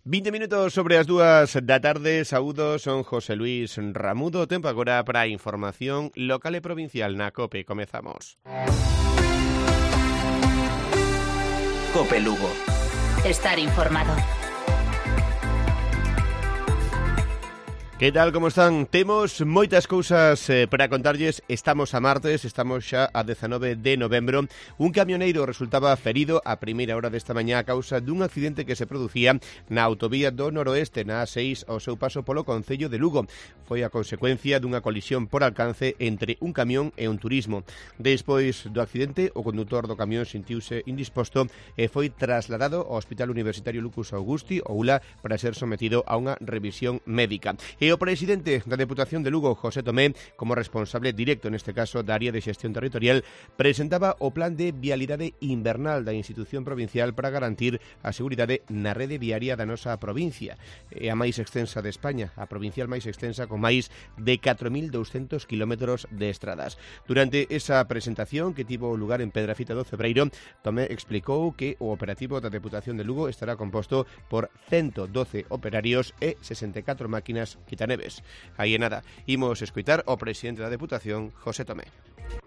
20 minutos sobre as 2 da tarde. Saúdos, son José Luis Ramudo. Tempo agora para a información local e provincial na COPE. Comezamos. COPE Lugo. Estar informado. Que tal, como están? Temos moitas cousas para contarlles. Estamos a martes, estamos xa a 19 de novembro. Un camioneiro resultaba ferido a primeira hora desta mañá a causa dun accidente que se producía na autovía do noroeste, na A6, ao seu paso polo concello de Lugo. Foi a consecuencia dunha colisión por alcance entre un camión e un turismo. Despois do accidente, o condutor do camión sentiuse indisposto e foi trasladado ao Hospital Universitario Lucas Augusti, ou ULA, para ser sometido a unha revisión médica. E o presidente da Deputación de Lugo, José Tomé, como responsable directo neste caso da área de xestión territorial, presentaba o plan de vialidade invernal da institución provincial para garantir a seguridade na rede viaria da nosa provincia. É a máis extensa de España, a provincial máis extensa con máis de 4.200 kilómetros de estradas. Durante esa presentación que tivo lugar en Pedrafita do Cebreiro, Tomé explicou que o operativo da Deputación de Lugo estará composto por 112 operarios e 64 máquinas quitaneves. Aí é nada, imos escoitar o presidente da Deputación, José Tomé.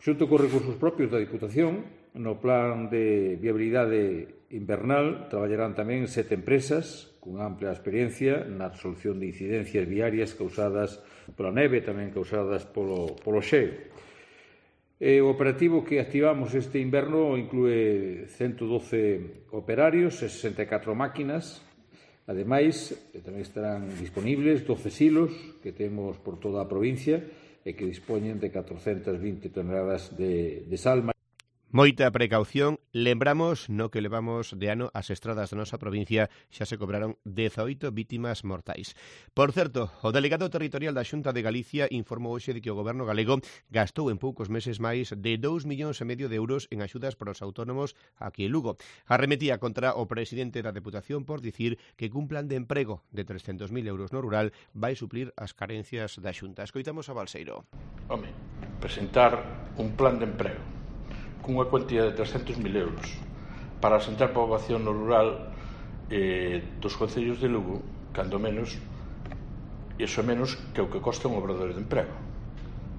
Xunto cos recursos propios da Diputación, no plan de viabilidade invernal traballarán tamén 7 empresas con ampla experiencia na resolución de incidencias viarias causadas pola neve, tamén causadas polo xeo. O operativo que activamos este inverno inclúe 112 operarios e 64 máquinas. Ademais, tamén estarán disponibles 12 silos que temos por toda a provincia e que dispoñen de 420 toneladas de sal. Moita precaución, lembramos no que levamos de ano as estradas da nosa provincia xa se cobraron 18 vítimas mortais. Por certo, o delegado territorial da Xunta de Galicia informou hoxe de que o goberno galego gastou en poucos meses máis de 2,5 millóns de euros en axudas para os autónomos aquí en Lugo. Arremetía contra o presidente da Deputación por dicir que cun plan de emprego de 300.000 euros no rural vai suplir as carencias da Xunta. Escoitamos a Balseiro. Home, presentar un plan de emprego cunha cuantía de 300.000 euros para asentar poboación no rural dos concellos de Lugo, cando menos, iso é menos que o que costa un obradoiro de emprego.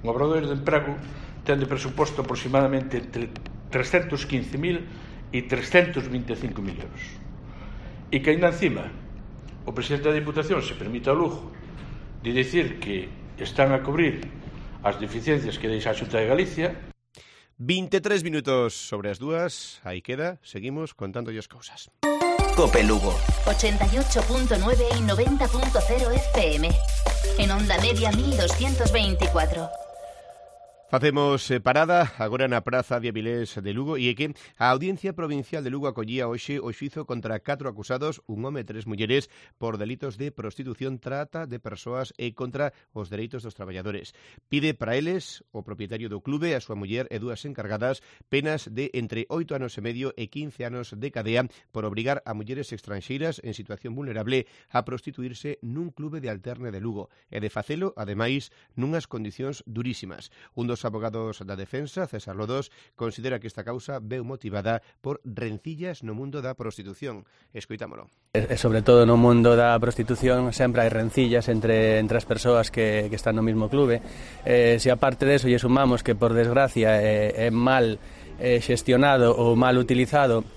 Un obradoiro de emprego ten de presuposto aproximadamente entre 315.000 e 325.000 euros. E que ainda encima o presidente da Diputación se permite ao lujo de dicir que están a cubrir as deficiencias que deixa a Xunta de Galicia. 23 minutos sobre as 2, aí queda, seguimos contándolle as cousas. COPE Lugo. 88.9 y 90.0 FM. En onda media 1224. Facemos parada agora na Praza de Avilés de Lugo e é que a Audiencia Provincial de Lugo acollía hoxe o xuízo contra 4 acusados, un home e 3 mulleres, por delitos de prostitución, trata de persoas e contra os dereitos dos traballadores. Pide para eles, o propietario do clube, a súa muller e 2 encargadas, penas de entre 8 anos e medio e 15 anos de cadea por obrigar a mulleres extranxeiras en situación vulnerable a prostituirse nun clube de alterne de Lugo e de facelo, ademais, nunhas condicións durísimas. Un dos abogados da defensa, César Lodos, considera que esta causa veu motivada por rencillas no mundo da prostitución. Escoitámolo. E sobre todo no mundo da prostitución sempre hai rencillas entre as persoas que están no mesmo clube. Se aparte de eso lle sumamos que por desgracia é mal xestionado ou mal utilizado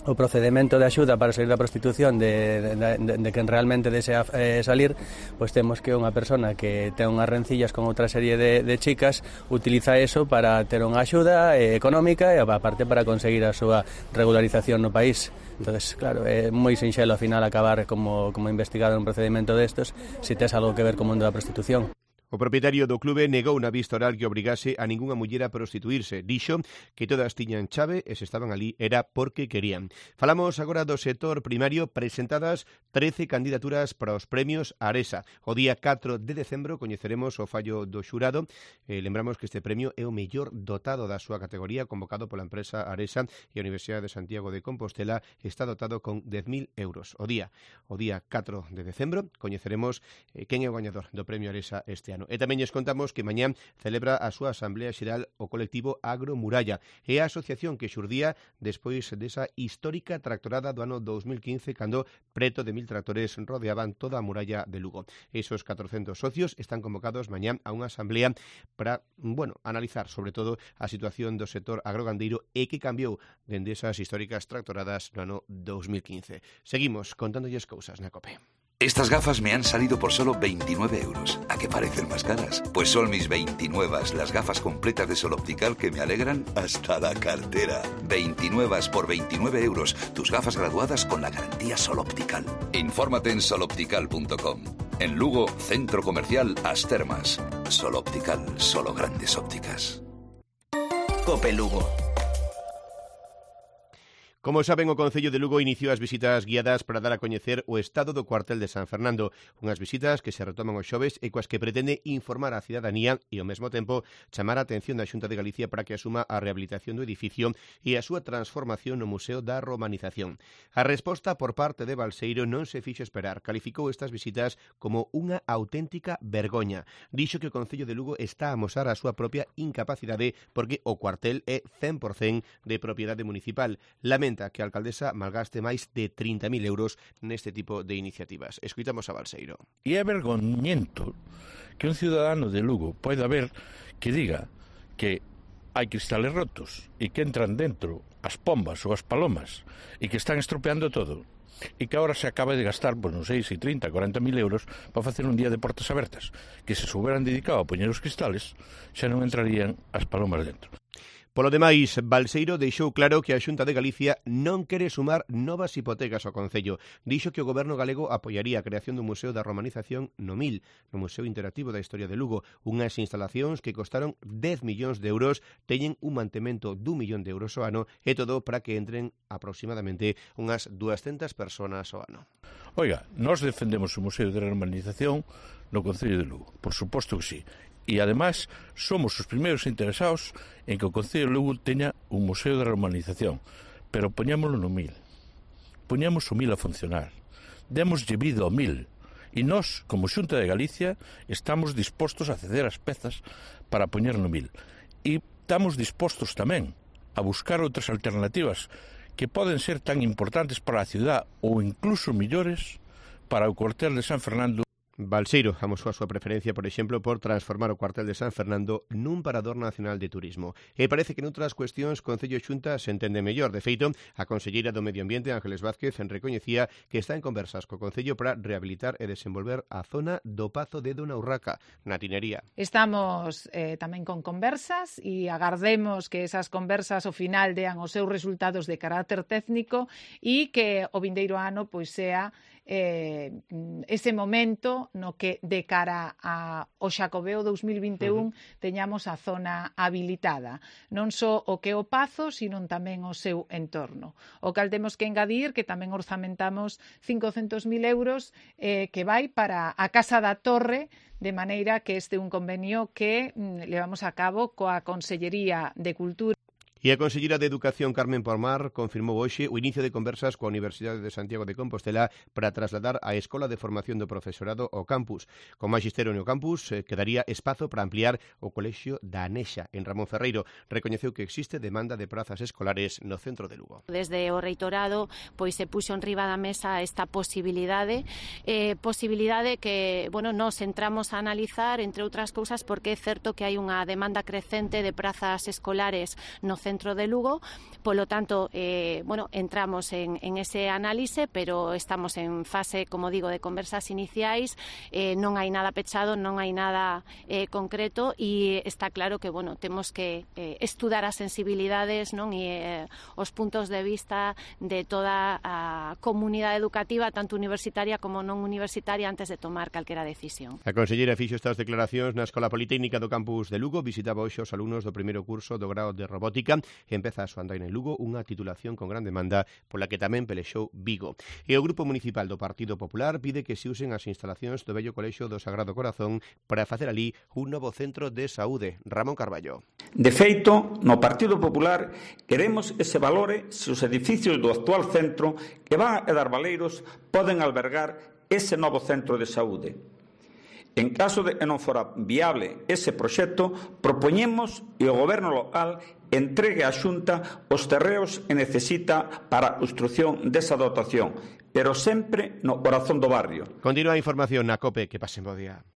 o procedemento de axuda para salir da prostitución de quen realmente desea salir, pois temos que unha persona que ten unhas rencillas con outra serie de chicas utiliza eso para ter unha axuda económica e aparte para conseguir a súa regularización no país. Entonces, claro, é moi sinxelo ao final acabar como investigado un procedimento destos se tes algo que ver co mundo da prostitución. O propietario do clube negou na vista oral que obrigase a ningunha muller a prostituirse. Dixo que todas tiñan chave e se estaban ali era porque querían. Falamos agora do sector primario, presentadas 13 candidaturas para os premios Aresa. O día 4 de decembro coñeceremos o fallo do xurado. Lembramos que este premio é o mellor dotado da súa categoría, convocado pola empresa Aresa, e a Universidade de Santiago de Compostela está dotado con 10.000 euros. O día 4 de decembro coñeceremos quen é o gañador do premio Aresa este ano. ano. E tamén lles contamos que mañá celebra a súa Asamblea Xeral o colectivo Agromuralla e a asociación que xurdía despois desa histórica tractorada do ano 2015 cando preto de 1000 tractores rodeaban toda a muralla de Lugo. Esos 400 socios están convocados mañá a unha asamblea para, analizar sobre todo a situación do sector agrogandeiro e que cambiou dende esas históricas tractoradas no ano 2015. Seguimos contándolles cousas na COPE. Estas gafas me han salido por solo 29 euros. ¿A qué parecen más caras? Pues son mis 29, las gafas completas de Sol Optical que me alegran hasta la cartera. 29 por 29 euros. Tus gafas graduadas con la garantía Sol Optical. Infórmate en soloptical.com. En Lugo, Centro Comercial As Termas. Sol Optical, solo grandes ópticas. COPE Lugo. Como saben, o Concello de Lugo iniciou as visitas guiadas para dar a coñecer o estado do cuartel de San Fernando, unhas visitas que se retoman os xoves e coas que pretende informar a cidadanía e, ao mesmo tempo, chamar a atención da Xunta de Galicia para que asuma a rehabilitación do edificio e a súa transformación no Museo da Romanización. A resposta por parte de Balseiro non se fixo esperar. Calificou estas visitas como unha auténtica vergoña. Dixo que o Concello de Lugo está a amosar a súa propia incapacidade porque o cuartel é 100% de propiedade municipal. Lamenta que a alcaldesa malgaste máis de 30.000 euros neste tipo de iniciativas. Escoitamos a Balseiro. E é vergoñento que un ciudadano de Lugo poida ver que diga que hai cristales rotos e que entran dentro as pombas ou as palomas e que están estropeando todo e que agora se acaba de gastar, non sei, 30, 40.000 euros para facer un día de portas abertas, que se hubieran dedicado a poñer os cristales xa non entrarían as palomas dentro. Polo demais, Balseiro deixou claro que a Xunta de Galicia non quere sumar novas hipotecas ao Concello. Dixo que o Goberno galego apoiaría a creación do Museo da Romanización no MIL, no Museo Interactivo da Historia de Lugo, unhas instalacións que costaron 10 millóns de euros, teñen un mantemento d'1 millón de euros ao ano e todo para que entren aproximadamente unhas 200 personas ao ano. Oiga, nós defendemos o Museo da Romanización no Concello de Lugo, por suposto que sí. E, además, somos os primeiros interesados en que o Concello de Lugo teña un Museo de Romanización. Pero poñámoslo no MIL. Poñamos o MIL a funcionar. Démoslle vida ao MIL. E nós, como Xunta de Galicia, estamos dispostos a ceder as pezas para poñer no MIL. E estamos dispostos tamén a buscar outras alternativas que poden ser tan importantes para a ciudad ou incluso millores para o cuartel de San Fernando. Balseiro amosou a súa preferencia, por exemplo, por transformar o cuartel de San Fernando nun parador nacional de turismo. E parece que noutras cuestións Concello e Xunta se entende mellor. De feito, a conselleira do Medio Ambiente, Ángeles Vázquez, recoñecía que está en conversas co Concello para rehabilitar e desenvolver a zona do Pazo de Dona Urraca, na Tinería. Estamos tamén con conversas e agardemos que esas conversas ao final dean os seus resultados de carácter técnico e que o vindeiro ano pois sea ese momento no que de cara ao Xacobeo 2021 teñamos a zona habilitada, non só o que é o Pazo, sino tamén o seu entorno. O cal temos que engadir que tamén orzamentamos 500.000 euros que vai para a Casa da Torre, de maneira que este é un convenio que levamos a cabo coa Consellería de Cultura. E a conselleira de Educación, Carmen Palmar, confirmou hoxe o inicio de conversas coa Universidade de Santiago de Compostela para trasladar a Escola de Formación do Profesorado ao campus. Con magisterio no campus, quedaría espazo para ampliar o colexio da Anexa, en Ramón Ferreiro. Recoñeceu que existe demanda de prazas escolares no centro de Lugo. Desde o reitorado pois se puxo en riba da mesa esta posibilidade que, nos entramos a analizar, entre outras cousas, porque é certo que hai unha demanda crecente de prazas escolares no centro de Lugo, polo tanto, entramos en ese análise, pero estamos en fase, como digo, de conversas iniciais, non hai nada pechado, non hai nada concreto e está claro que, temos que estudar as sensibilidades, non, e os puntos de vista de toda a comunidade educativa, tanto universitaria como non universitaria, antes de tomar calquera decisión. A conselleira fixo estas declaracións na Escola Politécnica do campus de Lugo, visitaba hoxe os alumnos do primeiro curso do grao de Robótica e empeza a súa andaina en Lugo, unha titulación con gran demanda pola que tamén pelexou Vigo. E o Grupo Municipal do Partido Popular pide que se usen as instalacións do vello Colexio do Sagrado Corazón para facer ali un novo centro de saúde. Ramón Carballo. De feito, no Partido Popular queremos que se valore se os edificios do actual centro que van a dar Baleiros poden albergar ese novo centro de saúde. En caso de que non fora viable ese proxecto, propoñemos que o Goberno local entregue á Xunta os terreos que necesita para a construción desa dotación, pero sempre no corazón do barrio. Continúa a información na COPE, que pasen bo día.